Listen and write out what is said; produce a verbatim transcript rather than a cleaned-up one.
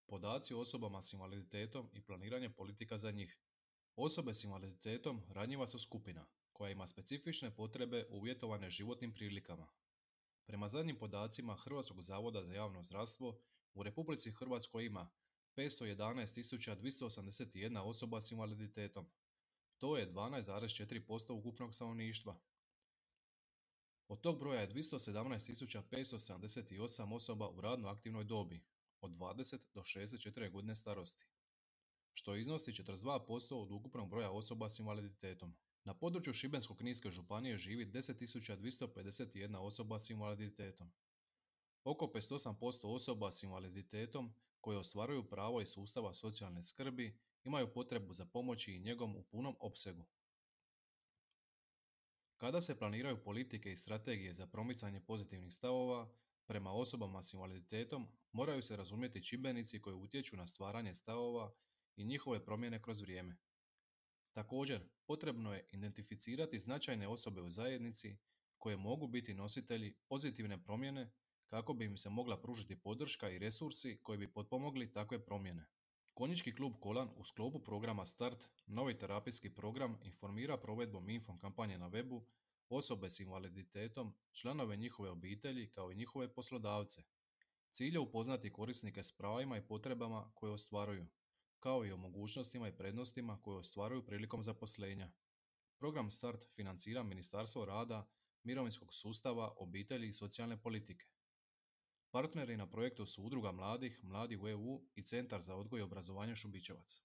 Podaci o osobama s invaliditetom i planiranje politika za njih. Osobe s invaliditetom ranjiva su skupina koja ima specifične potrebe uvjetovane životnim prilikama. Prema zadnjim podacima Hrvatskog zavoda za javno zdravstvo, u Republici Hrvatskoj ima petsto jedanaest tisuća dvjesto osamdeset jedna osoba s invaliditetom. To je dvanaest zarez četiri posto ukupnog stanovništva. Od tog broja je dvjesto sedamnaest tisuća petsto sedamdeset osam osoba u radno aktivnoj dobi, od dvadeset do šezdeset četiri godine starosti, što iznosi četrdeset dva posto od ukupnog broja osoba s invaliditetom. Na području Šibensko-kninske županije živi deset tisuća dvjesto pedeset jedna osoba s invaliditetom. Oko pedeset osam posto osoba s invaliditetom koje ostvaruju pravo iz sustava socijalne skrbi imaju potrebu za pomoći i njegom u punom opsegu. Kada se planiraju politike i strategije za promicanje pozitivnih stavova prema osobama s invaliditetom, moraju se razumjeti čimbenici koji utječu na stvaranje stavova i njihove promjene kroz vrijeme. Također, potrebno je identificirati značajne osobe u zajednici koje mogu biti nositelji pozitivne promjene kako bi im se mogla pružiti podrška i resursi koji bi potpomogli takve promjene. Konjički klub Kolan u sklopu programa Start, novi terapijski program, informira provedbom info kampanje na webu osobe s invaliditetom, članove njihove obitelji kao i njihove poslodavce. Cilj je upoznati korisnike s pravima i potrebama koje ostvaruju, kao i o mogućnostima i prednostima koje ostvaruju prilikom zaposlenja. Program Start financira Ministarstvo rada, mirovinskog sustava, obitelji i socijalne politike. Partneri na projektu su Udruga mladih, Mladi u E U i Centar za odgoj i obrazovanje Šubićevac.